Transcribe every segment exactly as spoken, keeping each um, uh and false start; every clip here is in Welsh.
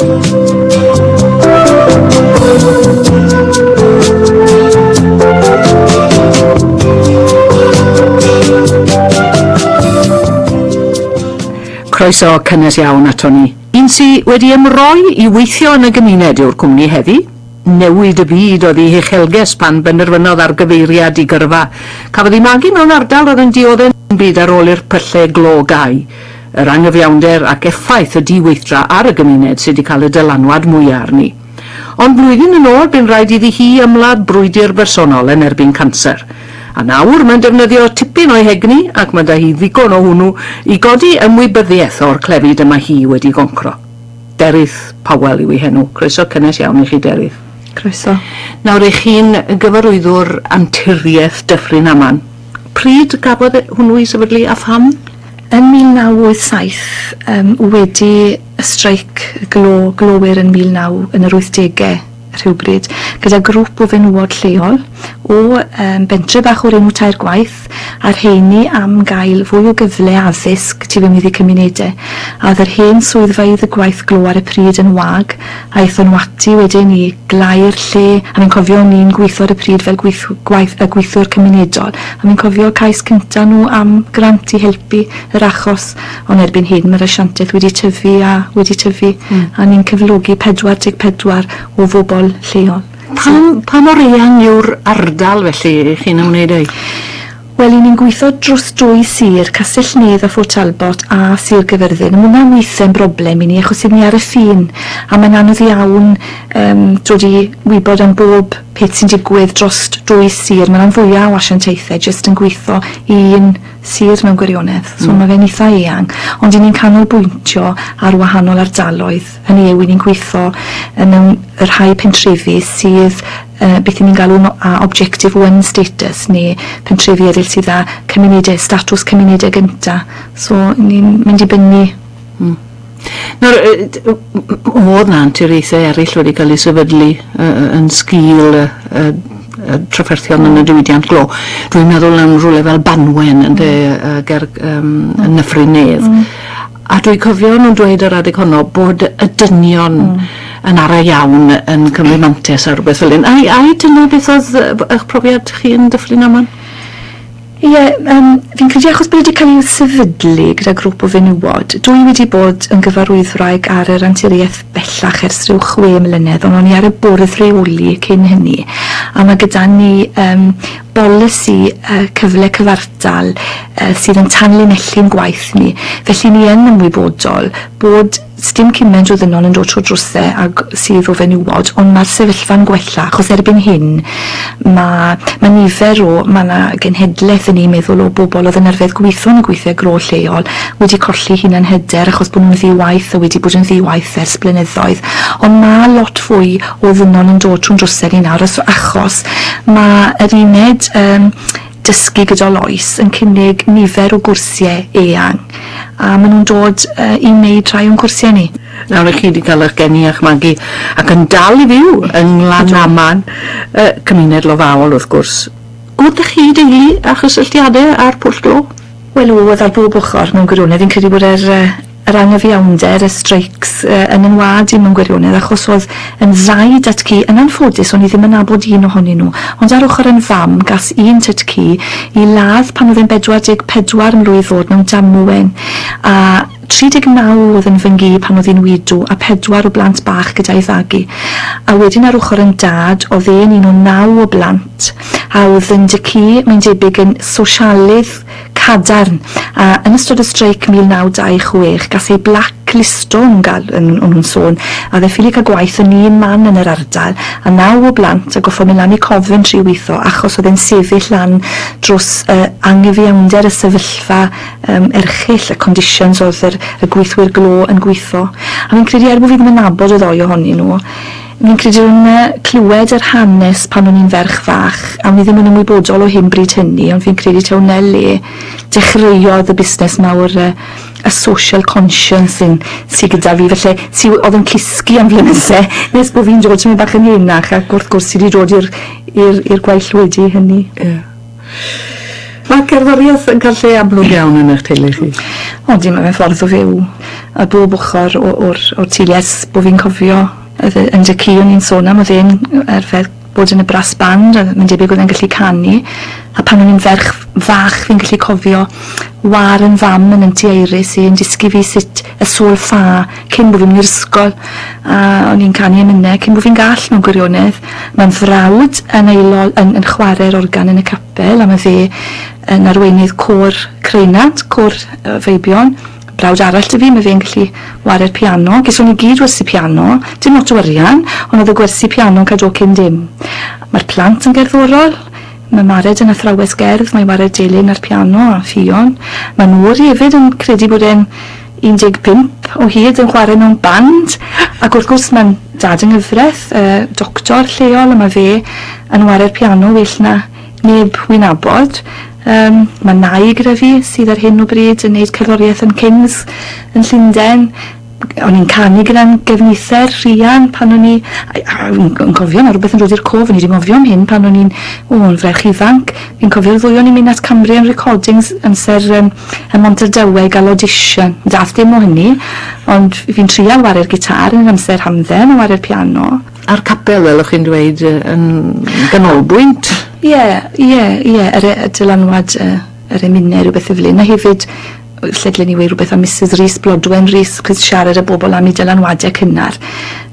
Croeso cynnes iawn ato ni. Un sy wedi ymroi i weithio yn y gymuned yw'r cwmni heddi. Newid y byd oedd ei huchelges pan benderfynodd ar gyfeiriad i gyrfa. Cafodd ei magu mewn ardal oedd yn dioddef yn byd ar ôl i'r pyllau glo gau. Yr angyfiawnder ac effaith y diweithdra ar y gymuned sydd wedi cael y dylanwad mwyaf arni. Ond blwyddyn yn ôl bu'n rhaid iddi hi ymladd brwydr bersonol yn erbyn canser. A nawr mae'n defnyddio tipyn o'i hegni, ac mae da hi ddigon o hwnnw, i godi ymwybyddiaeth o'r clefyd yma hi wedi goncro. Derith Powell yw ei henw. Croeso cynnes iawn i chi, Derith. Croeso. Nawr, eich chi'n gyfarwyddwr Anturiaeth Dyffryn Aman. Pryd gafodd hwnnw ei sefydlu a pham? Yn mil naw wyth saith, um, wedi y streic glo, glowyr yn mil naw yn yr wythdegau rhywbryd, gyda grŵp o fenywod lleol o um, bentre bach o'r enw Tair Gwaith, a'r rheini am gael fwy o gyfle addysg tu fewn iddi cymunedau. A oedd yr hen swyddfeydd y gwaith glo ar y pryd yn wag, a aethon nhw ati wedyn i glau'r lle, a fi'n cofio ni'n gweithio ar y pryd fel gweith, gwaith, y gweithiwr cymunedol, a fi'n cofio cais cynta nhw am grant i helpu yr achos, ond erbyn hyn mae'r asiantaeth wedi tyfu a wedi tyfu, mm. a ni'n cyflogi pedwar deg pedwar o bobl lleol. Pa, pa mor eang yw'r ardal felly chi'n ymwneud â? Wel, i ni'n gweithio dros dwy sir, Castell Nedd a Fort Talbot a Sir Gyfyrddin. Mae hwnna'n weithiau'n broblem i ni, achos i ni ar y ffin, a mae'n anodd iawn um, dod i wybod am bob peth sy'n digwydd dros dwy sir. Mae'n fwyaf o asiantaethau jyst yn gweithio i un sir mewn gwirionedd, so mm. mae fe'n eitha eang. Ond i ni'n canolbwyntio ar wahanol ardaloedd. Hynny yw, i ni'n gweithio yn y rhai pentrefi sydd uh, beth ni'n galw a Objective One status, neu pentrefi eraill sydd â cymunedau, statws cymunedau gynta. So ni'n mynd i bynnu. Mm. Nawr, oedd na anturiaethau eraill wedi cael eu sefydlu uh, yn sgil uh, uh, trafferthion yn y diwydiant glo. Dwi'n meddwl am rhywle fel Banwen yn de, uh, ger um, yn Nyffryn Nedd. Mm. A dwi'n cofio nhw'n dweud ar adeg honno bod y dynion mm. yn ara iawn yn cymryd mantais ar rhywbeth fel hyn. Ai, ai dyna beth oedd eich profiad chi yn Dyffryn Aman? Ie, um, fi'n credu achos bod wedi cael ei sefydlu gyda grŵp o fenywod, dwi wedi bod yn gyfarwyddwraig ar yr anturiaeth bellach ers rhyw chwe mlynedd, ond o'n i ar y bwrdd rheoli cyn hynny, a mae gyda ni um, bolisi uh, cyfle cyfartal uh, sydd yn tanlinellu'n gwaith ni. Felly ni yn ymwybodol bod sdim cymaint o ddynon yn dod trwy drwsau ag sydd o fenywod, ond mae'r sefyllfa'n gwella, achos erbyn hyn mae, mae nifer o, mae yna genhedlaeth yn ei meddwl o bobl oedd yn arfer gweithio yn y gweithiau glo lleol wedi colli hunan hyder achos bod nhw'n ddi-waith a wedi bod yn ddi-waith ers blynyddoedd. Ond mae lot fwy o ddynon yn dod trwy'n drwsau ni nawr, achos mae yr uned um, dysgu gydol oes yn cynnig nifer o gwrsiau eang, a maen nhw'n dod uh, i wneud rhai o'n cwrsiau ni. Nawr, chi wedi cael eich geni a'ch magu ac yn dal i fyw yng Nglanaman, uh, cymuned lofaol wrth gwrs. Oedd chi deulu a chysylltiadau â'r pwll glo? Wel, oedd ar bob ochr mewn gwirionedd. Fi'n credu bod yr, yr angyfiawnder, y streics uh, yn yn wad i mewn gwirionedd, achos oedd yn ddau datcu, yn anffodus o'n i ddim yn nabod un ohonyn nhw, ond ar ochr yn fam gas un tatcu i ladd pan oedd e'n bedwar deg pedwar mlwydd oed mewn damwen, a tri deg naw oedd yn fy nghi pan oedd hi'n widw, a pedwar o blant bach gyda'i fagu. A wedyn ar ochr yn dad, oedd e'n un o naw o blant, a oedd yn dycu, mae'n debyg, yn sosialydd cadarn. A yn ystod y streic mil naw dau chwech, gas ei blacklisto yn gael, yn, o'n nhw'n sôn, a dde ffili cael gwaith yn un man yn yr ardal, a naw o blant a goffo mynd lan i Coventry weithio, achos oedd e'n sefyll lan dros uh, angyfiawnder y sefyllfa um, erchyll, y conditions oedd yr, y gweithwyr glo yn gweithio. A fi'n credu, er bod fi ddim yn nabod y ddoi ohonyn nhw, fi'n credu o'n clywed yr hanes pan o'n i'n ferch fach, a o'n i ddim yn ymwybodol o hyn bryd hynny, ond fi'n credu taw 'na le dechreuodd y busnes mawr, y, y social conscience yn, sy gyda fi, felly sy oedd yn cysgu am flynydde, nes bod fi'n dod tymed bach yn henach, ac wrth gwrs sy wedi dod i'r i'r i'r gwaill wedi hynny. Yeah. Mae cerddoriaeth yn cael lle amlwg iawn yn eich teulu chi. Odi, mae fe'n ffordd o fyw. A bob ochr o'r, o'r teulu ers bod fi'n cofio. Yn dy ci o'n i'n sôn am, oedd e'n arfer bod yn y brass band, a mae'n debyg oedd e'n gallu canu. A pan o'n i'n ferch fach, fi'n gallu cofio war yn fam yn Auntie Iris i yn dysgu fi sut y sol ffa cyn bod fi'n mynd i'r ysgol. A o'n i'n canu emynau cyn bod fi'n gall mewn gwirionedd. Mae'n frawd yn, aelod, yn, yn chwarae'r organ yn y capel, a mae fe yn arweinydd côr Creunant, côr uh, Feibion. Brawd arall 'da fi, mae fe'n gallu ware'r piano. Geson ni gyd wersi piano, dim lot o arian, ond oedd y gwersi piano yn cael dod cyn dim. Mae'r plant yn gerddorol, mae Mared yn athrawes gerdd, mae'n ware'r delyn a'r piano a Ffion. Mae Nori hefyd yn credu bod e'n un deg pump o hyd yn chwarae mewn band, ac wrth gwrs mae'n dad yng nghyfraith, uh, doctor lleol, a mae fe yn ware'r piano well na neb wy'n nabod. Um, mae nai gyda fi sydd ar hyn o bryd yn neud cerddoriaeth yn Kings yn Llundain. O'n i'n canu gyda'n gefnither Rhian pan o'n i, yn cofio, mae rhywbeth yn dod i'r cof, o'n i wedi gofio am hyn pan o'n i'n, o, yn ferch ifanc. Fi'n cofio'r ddwy o'n i'n mynd at Cambrian Recordings amser um, ym Mhontardawe i gael audition. Dath dim o hynny, ond fi'n trial ware'r gitar yn amser hamdden a ware'r piano. A'r capel, fel o'ch chi'n dweud, yn ganolbwynt? Ie, ie, ie, yr y dylanwad yr emynau, rhywbeth fel hyn. A hefyd, lle dylen ni weud rhywbeth am Missus Rhys, Blodwen Rhys, chos siarad â bobl am ei dylanwadau cynnar.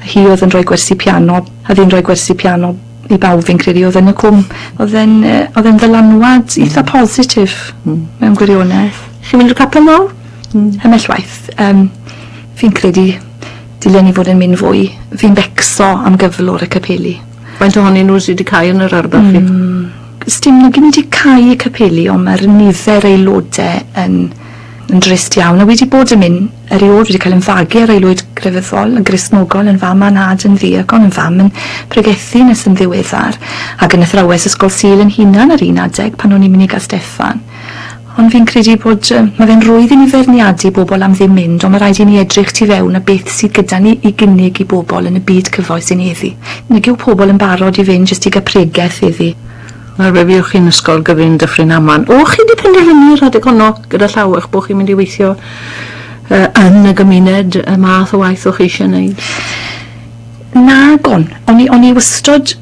Hi oedd yn rhoi gwersi piano, a fi'n rhoi gwersi piano i bawb fi'n credu oedd yn y cwm. Oedd e'n oedd e'n ddylanwad eitha positif mewn gwirionedd. Chi'n mynd i'r capel nawr? Ymhell waith. Um, fi'n credu dylen ni fod yn mynd fwy. Fi'n becso am gyflwr y capeli. Faint ohonyn nhw sydd wedi cau yn yr ardal chi? Mm, Sdim nhw gyd wedi cau y capeli, ond mae'r nifer aelodau yn, yn drist iawn. A wedi bod yn mynd erioed, wedi cael yn fagu ar aelwyd grefyddol, yn Gristnogol, yn fam a'n nhad yn ddiacon, yn fam yn pregethu nes yn ddiweddar, ac yn athrawes ysgol Sul yn hunan ar un adeg pan o'n i'n mynd i Gasteffan. Ond fi'n credu bod, uh, mae fe'n rwydd i ni feirniadu bobl am ddim mynd, ond mae rhaid i ni edrych tu fewn a beth sydd gyda ni i gynnig i bobl yn y byd cyfoes yn heddi. Nag yw pobl yn barod i fynd jyst i gael pregeth iddi. Nawr fe fuoch chi'n ysgol gyfun Dyffryn Aman. O, chi wedi penderfynu rhedeg honno gyda llaw eich bod chi'n mynd i weithio uh, yn y gymuned, y math o waith o'ch chi eisiau gwneud? Nagon. O'n i, o'n i wastod,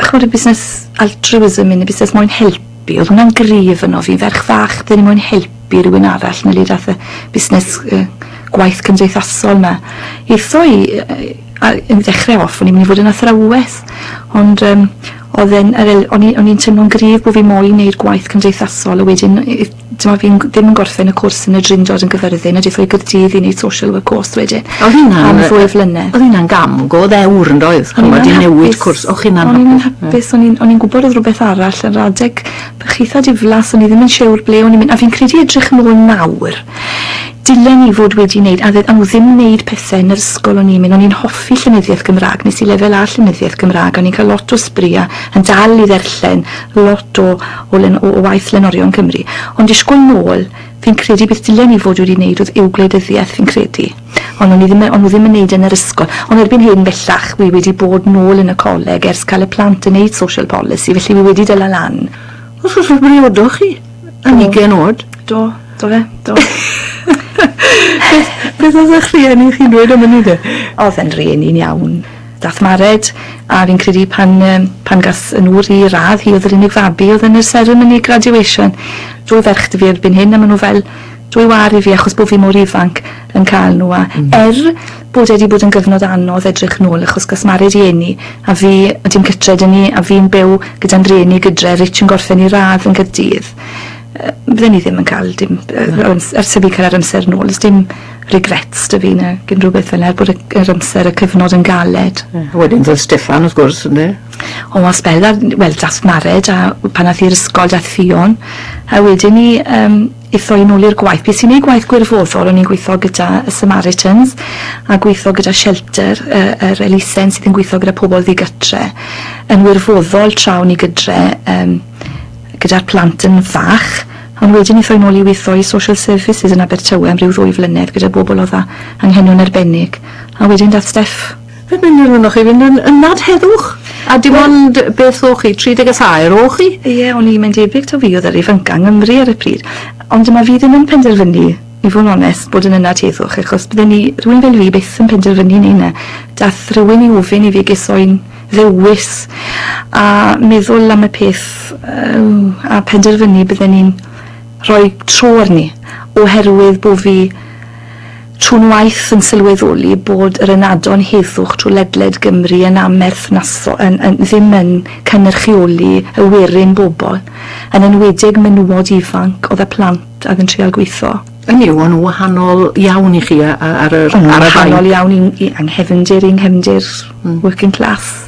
ch'mod, y busnes altruism yn y busnes moyn helpu. Oedd hwnna'n gryf yno fi, ferch fach, bydden ni moyn helpu rhywun arall na le dath y busnes uh, gwaith cymdeithasol yma. Eitho i, uh, yn ddechrau off, o'n i'n mynd i fod yn athrawes, ond um, oedd e'n, o'n i'n teimlo'n gryf bod fi moyn wneud gwaith cymdeithasol, a wedyn dyma fi'n ddim yn gorffen y cwrs yn y Drindod yn Gyfyrddin, a deithio i Gaerdydd i wneud social work course wedyn. Oedd hynna'n am ddwy flynedd. Oedd hynna'n gam go ddewr yn doedd? O'n i'n newid cwrs. O'ch chi'n O'n i'n hapus, o'n i'n o'n i'n gwybod oedd rhywbeth arall yn adeg bach eitha diflas, o'n i ddim yn siŵr ble o'n i'n mynd, a fi'n credu edrych yn ôl nawr. Dylen ni fod wedi wneud, a a nhw ddim wneud pethau yn yr ysgol o'n i'n mynd, o'n i'n hoffi llenyddiaeth Gymraeg, nes i lefel A llenyddiaeth Gymraeg, o'n i'n cael lot o sbri a yn dal i ddarllen lot o, o, len, o, o waith lenorion Cymru. Ond disgwyl nôl, fi'n credu beth dylen ni fod wedi wneud oedd yw gwleidyddiaeth, fi'n credu. Ond o'n i ddim, o'n nhw ddim yn wneud yn yr ysgol. Ond erbyn hyn bellach, wi wedi bod nôl yn y coleg ers cael y plant yn wneud social policy, felly wi wedi dala lan. Wrth gwrs, fe briodoch chi yn ugain oed? Do, do fe, do. Beth, beth oedd eich rhieni chi'n dweud am hynny de? Oedd e'n rhieni'n iawn. Dath Mared, a fi'n credu pan, pan gas yn ŵr i radd, hi oedd yr unig fabi oedd yn yr ceremony graduation. Dwy ferch 'da fi erbyn hyn, a maen nhw fel dwy war i fi achos bod fi mor ifanc yn cael nhw. A mm. er bod wedi bod yn gyfnod anodd edrych nôl, achos gas Mared i eni, a fi, a dim cytre 'da ni, a fi'n byw gyda'n rhieni gydre, Rich yn gorffen i radd yn Gaerdydd. Bydden ni ddim yn cael dim, ers i fi cael yr amser nôl, ys dim regrets 'da fi na gyn rhywbeth fel 'na, er bod yr amser, y cyfnod yn galed. Yeah. Wedyn ddodd Steffan wrth gwrs, ynddo? O, a sbel, wel, dath Mared, a pan ath i'r ysgol, dath Ffion, a wedyn ni um, eitho i nôl i'r gwaith. Bys i'n neud gwaith gwirfoddol, o'n i'n gweithio gyda y Samaritans, a gweithio gyda Shelter, yr elusen sydd yn gweithio gyda pobl ddigytre, yn wirfoddol tra o'n i gydre, um, gyda'r plant yn fach, ond wedyn eitho i nôl i weithio i social services yn Abertawe am ryw ddwy flynedd gyda bobl oedd â anghenion arbennig. A wedyn dath Steff. Fe benderfynoch chi fynd yn ynad heddwch? A dim ond beth o'ch chi, tri deg a thair o'ch chi? Ie, o'n i'n mynd debyg taw fi oedd yr ifanca yng Nghymru ar y pryd. Ond dyma fi ddim yn penderfynu, i fod yn onest, bod yn ynad heddwch, achos bydden ni, rhywun fel fi byth yn penderfynu neu na. Dath rhywun i ofyn i fi gesoi'n ddewis a meddwl am y peth uh, a penderfynu bydden ni'n rhoi tro arni, oherwydd bod fi trwy'n waith yn sylweddoli bod yr ynadon heddwch trwy ledled Gymru yn amherthnasol, yn, yn, ddim yn cynrychioli y werin bobl, yn enwedig menywod ifanc oedd y plant oedd yn trial gweithio. Hynny yw, o'n nhw wahanol iawn i chi ar yr ar y wahanol iawn i, i anghefndir, i nghefndir mm. working class.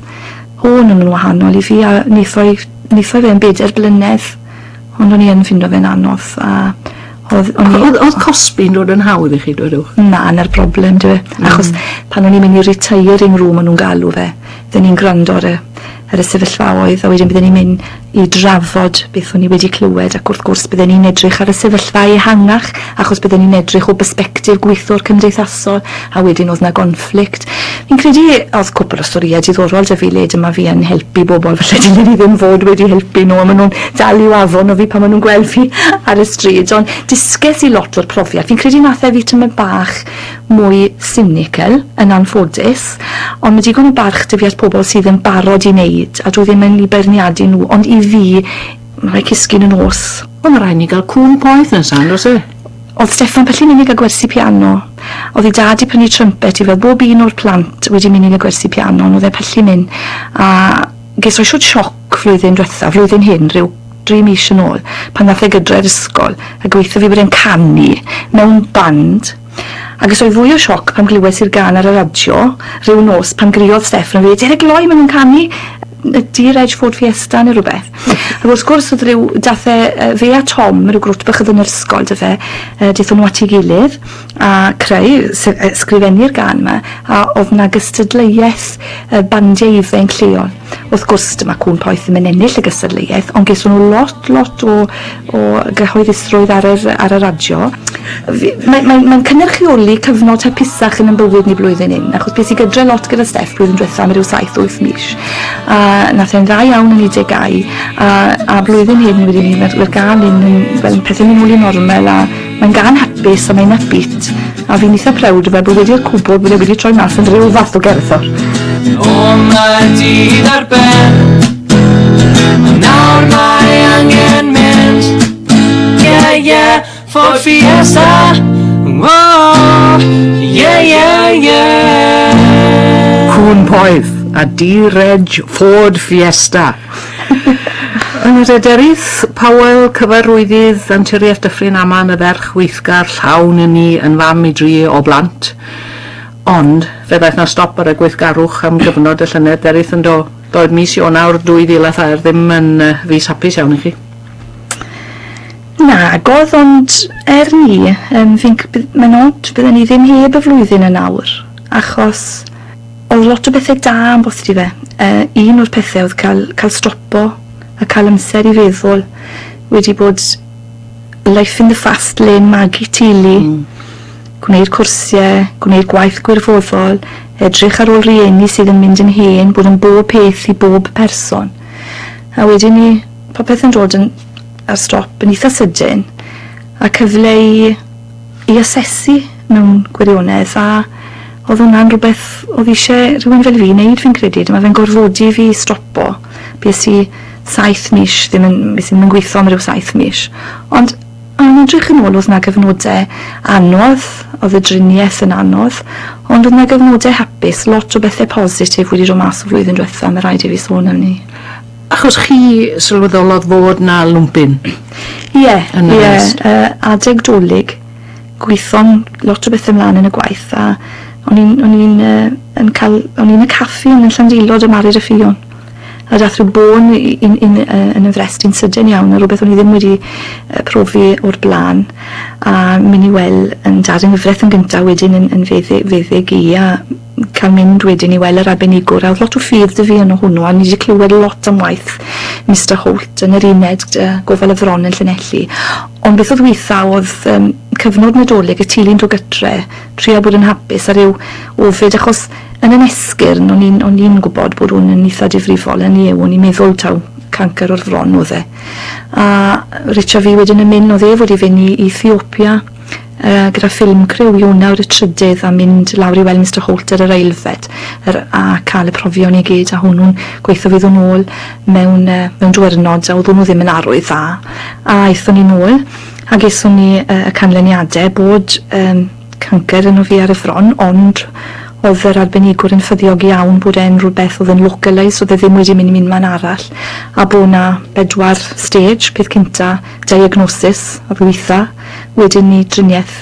O'n nhw'n wahanol i fi, a wnaethoi wnaethoi fe yn bedair blynedd, ond o'n i yn ffindo fe'n anodd. A oedd, o'n i, Oedd, oedd cosbi'n dod yn hawdd i chi, dwedwch? Na, na'r broblem, dwi. Achos pan o'n i'n mynd i retiring room o'n nhw'n galw fe, bydden ni'n gwrando ar y, ar y sefyllfaoedd, a wedyn bydden ni'n mynd i drafod beth o'n i wedi clywed, ac wrth gwrs bydden ni'n edrych ar y sefyllfa ehangach, achos bydden ni'n edrych o bersbectif gweithiwr cymdeithasol, a wedyn oedd na gonflict. Fi'n credu oedd cwpl o storïau diddorol 'da fi le dyma fi yn helpu bobl, falle dylen ni ddim fod wedi helpu nhw, a maen nhw'n dal i'w afon o fi pan maen nhw'n gweld fi ar y stryd, ond dysges i lot o'r profiad. Fi'n credu nath e fi tymed bach mwy cynical, yn anffodus, ond mae digon o barch 'da fi at pobl sydd yn barod i wneud, a dwi ddim yn eu beirniadu nhw, ond i fi, mae rhaid cysgu yn y nos. Ond mae rhaid ni gael cŵn poeth nesaf, on'd oes e? Oedd Steffan Pelli'n mynd i gael gwersi piano. Oedd ei dad i prynu trumpet i fel bob un o'r plant wedi mynd i gael gwersi piano, ond oedd e pellu mynd. A ges o'i siwt sioc flwyddyn diwetha, flwyddyn hyn, rhyw dri mis yn ôl, pan nath e gydre'r ysgol, a gweithio fi bod e'n canu mewn band. A ges o'i fwy o sioc pan glywes i'r gân ar y radio, rhyw nos, pan griodd Steffan a fi, Derek Loi, maen nhw'n canu y D-Reg Ford Fiesta neu rhywbeth. Ac wrth gwrs oedd rhyw, dath e, fe a Tom, rhyw grwt bach oedd yn yr ysgol, dy fe, daethon nhw at ei gilydd a creu, sgrifennu'r gân yma, a oedd na gystadleuaeth bandiau ifanc lleol. Wrth gwrs, dyma Cŵn Poeth ddim yn ennill y gystadleuaeth, ond geson nhw lot, lot o, o gyhoeddusrwydd ar yr, ar y radio. Mae'n mae, mae cynrychioli cyfnod hapusach yn ein bywyd ni blwyddyn hyn, achos beth i gydre lot gyda Steff blwyddyn diwetha am ryw saith, wyth mis. A nath e'n dda iawn yn ei degau, a, a blwyddyn hyn wedi ni, mae'r gân hyn yn, fel pethau'n mynd nôl i normal, a mae'n gân hapus a mae'n upbeat, a fi'n eitha proud o fe bod wedi'r cwbl bod e wedi troi mas yn rhyw fath o gerddor. O, mae'r dydd ar ben, nawr mae angen mynd. Yeah, yeah, Ford Fiesta. Oh, yeah, yeah, yeah. Cŵn Poeth a D-Reg Ford Fiesta. Yn y Derith Powell, cyfarwyddydd Anturiaeth Dyffryn Aman, y ferch weithgar llawn yn ni yn fam i dri o blant. Ond fe ddaeth na stop ar y gweithgarwch am gyfnod y llynedd, Derith, yn do. Doedd mis Ionawr dwy fil a thair ddim yn uh, fis hapus iawn i chi. Nagodd, ond er ni, um, fi'n, mae'n od, bydden ni ddim heb y flwyddyn yn awr, achos oedd lot o bethau da am bosib fe. Uh, un o'r pethau oedd cael, cael stopo a cael amser i feddwl, wedi bod life in the fast lane, magu teulu, mm. gwneud cwrsiau, gwneud gwaith gwirfoddol, edrych ar ôl rieni sydd yn mynd yn hen, bod yn bob peth i bob person. A wedyn ni, popeth yn dod yn, ar stop yn eitha sydyn, a cyfle i, i asesu mewn gwirionedd, a oedd hwnna'n rhywbeth oedd eisiau rhywun fel fi wneud, fi'n credu. Dyma fe'n gorfodi fi stopo. Bues i saith mis, ddim yn, bues i ddim yn gweithio am ryw saith mis. Ond yn edrych yn ôl, oedd na gyfnodau anodd, oedd y driniaeth yn anodd, ond oedd na gyfnodau hapus, lot o bethau positif wedi dod mas o flwyddyn diwetha, mae rhaid i fi sôn am ni. Achos chi sylweddolodd fod na lwmpyn? Ie, ie, adeg Dolig, gweithio'n lot o bethau ymlaen yn y gwaith, a o'n i'n o'n i'n yn cael, o'n i'n y caffi yn Llandilo dy Marid y Ffion. A dath rhyw bôn yn, yn, yn y frest i'n sydyn iawn, a rhywbeth o'n i ddim wedi profi o'r blaen, a mynd i weld yn dad yng nghyfraith yn gyntaf, wedyn yn, yn feddyg, feddyg i, a cael mynd wedyn i weld yr arbenigwr, a oedd lot o ffydd 'da fi yn hwnnw, a ni wedi clywed lot am waith Mister Holt yn yr uned uh, gofal y fron yn Llanelli. Ond beth oedd weitha oedd um, cyfnod Nadolig, y teulu'n dod gytre, trio bod yn hapus a ryw ofid, achos yn yn esgyrn esgyrn, o'n i'n o'n i'n gwybod bod hwn yn eitha difrifol, yn yw, o'n i'n meddwl taw cancer o'r fron oedd e. A Richard fi wedyn yn mynd, oedd e fod i fynd i Ethiopia uh, gyda film crew Ionawr y trydydd a mynd lawr i weld Mister Holt ar yr ailfed yr, a cael y profion i gyd, a hwnnw'n gweithio fydd nhw'n ôl mewn, uh, mewn diwrnod, a oedd hwnnw ddim yn arwydd dda. A aethon ni nôl a geson ni uh, y canlyniadau bod um, cancer yno fi ar y fron, ond oedd yr arbenigwr yn ffyddiog iawn bod e'n rhywbeth oedd yn localised, oedd e ddim wedi mynd i unman arall, a bod na bedwar stage: peth cynta, diagnosis, a ddwytha, wedyn ni driniaeth,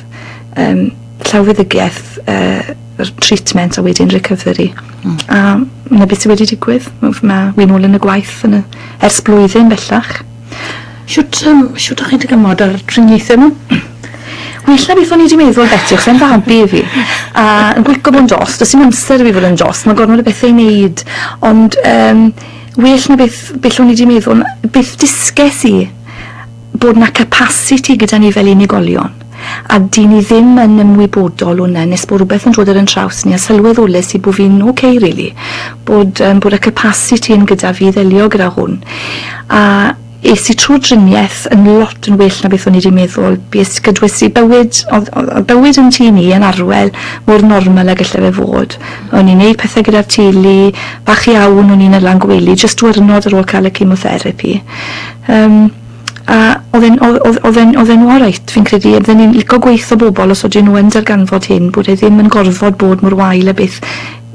um, llawfeddygiaeth, uh, treatment, a wedyn recovery. Mm. A 'na beth sydd wedi digwydd. Mae wi'n ôl yn y gwaith yn y, ers blwyddyn bellach. Shwt, um, shwt o'ch chi'n dygymod ar triniaethau nhw? Well na beth o'n i wedi meddwl, Betty, achos e'n fabi i fi. A yn gwico bod yn dost, does dim amser i fi fod yn dost, mae gormod o bethau i wneud. Ond um, well na beth, beth o'n i wedi meddwl, beth disges i, bod na capacity gyda ni fel unigolion. A dyn ni ddim yn ymwybodol hwnna nes bod rhywbeth yn dod ar yn traws ni a sylweddolus i bod fi'n okay, really. Bod, um, bod y capacity yn gyda fi i ddelio gyda hwn. A es i trwy driniaeth yn lot yn well na beth o'n i wedi meddwl. Bues gydwes i bywyd, oedd, oedd bywyd yn tŷ ni yn Arwel mor normal ag gallai fe fod. O'n i'n neud pethau gyda'r teulu, bach iawn o'n i'n y lan gwely, jyst diwrnod ar ôl cael y chemotherapy. Um, a oedd e'n oedd oedd e'n oedd e'n alright, fi'n credu. Bydden ni'n licio gweithio bobl os ydyn nhw yn darganfod hyn, bod e ddim yn gorfod bod mor wael a beth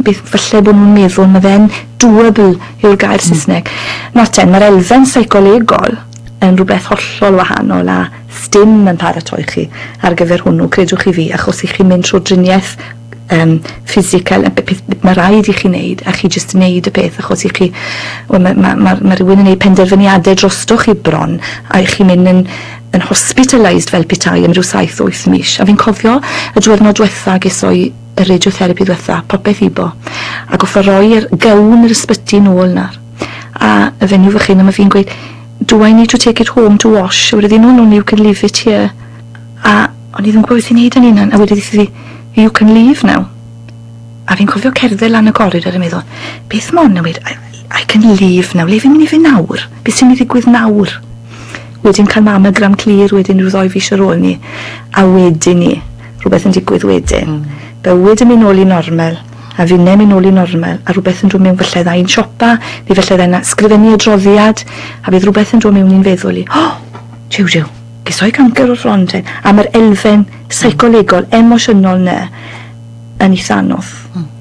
beth falle bod nhw'n meddwl. Mae fe'n doable yw'r gair mm. Saesneg. Nawr ten, mae'r elfen seicolegol yn rhywbeth hollol wahanol a sdim yn paratoi chi ar gyfer hwnnw, credwch chi fi, achos i chi'n mynd trwy driniaeth um, physical, y peth mae rhaid i chi wneud, a chi jyst yn wneud y peth achos i chi, wel, mae ma, ma, ma rhywun yn gwneud penderfyniadau drostoch chi bron, a i chi'n mynd yn, yn hospitalised fel petai am ryw saith, wyth mis. A fi'n cofio y diwrnod diwetha ges i y radiotherapy diwetha, popeth ibo, a goffa roi'r gown yr ysbyty nôl nawr. A y fenyw fach hyn, a mae fi'n gweud, "Do I need to take it home to wash?" A wedodd hi, no, no, you can leave it here." A o'n i ddim yn gwybod beth i wneud yn hunan, a wedodd hi, "You can leave now." A fi'n cofio cerdded lan y coridor yn meddwl, beth mon newid, I, I can leave now, le fi'n mynd i fynd nawr? Beth sy'n mynd i ddigwydd nawr?" Wedyn cael mammogram clir wedyn rhyw ddoi fis ar ôl ni, a wedyn ni, rhywbeth yn digwydd wedyn. Mm. Bywyd yn mynd nôl i normal, a finne'n mynd nôl i normal, a rhywbeth yn dod mewn, falle ddau'n siopa, neu falle ddau'n ysgrifennu adroddiad, a bydd rhywbeth yn dod mewn i'n feddwl i, "Oh, jiw jiw, ges i cancer o'r fron ten." A mae'r elfen seicolegol, emosiynol 'na yn eitha anodd. Mm.